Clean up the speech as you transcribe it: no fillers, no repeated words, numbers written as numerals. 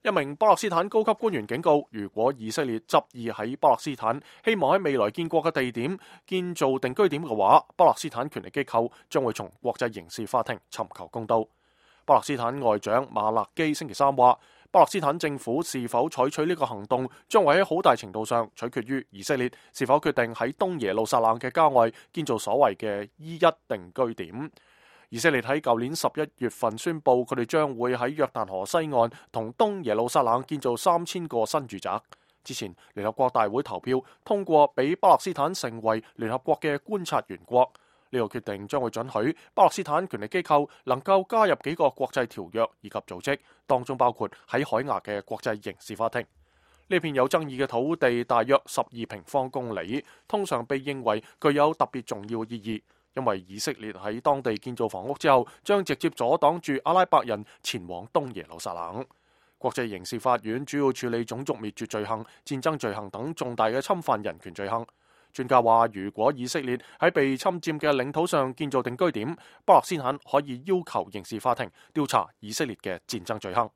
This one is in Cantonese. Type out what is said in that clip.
一名巴勒斯坦高級官員警告，如果以色列執意喺巴勒斯坦希望喺未來建國嘅地點建造定居點嘅話，巴勒斯坦權力機構將會從國際刑事法庭尋求公道。巴勒斯坦外長馬勒基星期三話，巴勒斯坦政府是否採取呢個行動，將會喺好大程度上取決於以色列是否決定喺東耶路撒冷嘅郊外建造所謂嘅伊一定居點。以色列喺舊年11月份宣布，佢哋將會喺約旦河西岸同東耶路撒冷建造3000個新住宅。之前聯合國大會投票通過，俾巴勒斯坦成為聯合國嘅觀察員國。呢個決定將會准許巴勒斯坦權力機構能夠加入幾個國際條約以及組織，當中包括喺海牙嘅國際刑事法庭。呢片有爭議嘅土地大約12平方公里，通常被認為具有特別重要意義。因為以色列喺當地建造房屋之後，將直接阻擋住阿拉伯人前往東耶路撒冷。國際刑事法院主要處理種族滅絕罪行、戰爭罪行等重大嘅侵犯人權罪行。專家話，如果以色列喺被侵佔嘅領土上建造定居點，巴勒斯坦可以要求刑事法庭調查以色列嘅戰爭罪行。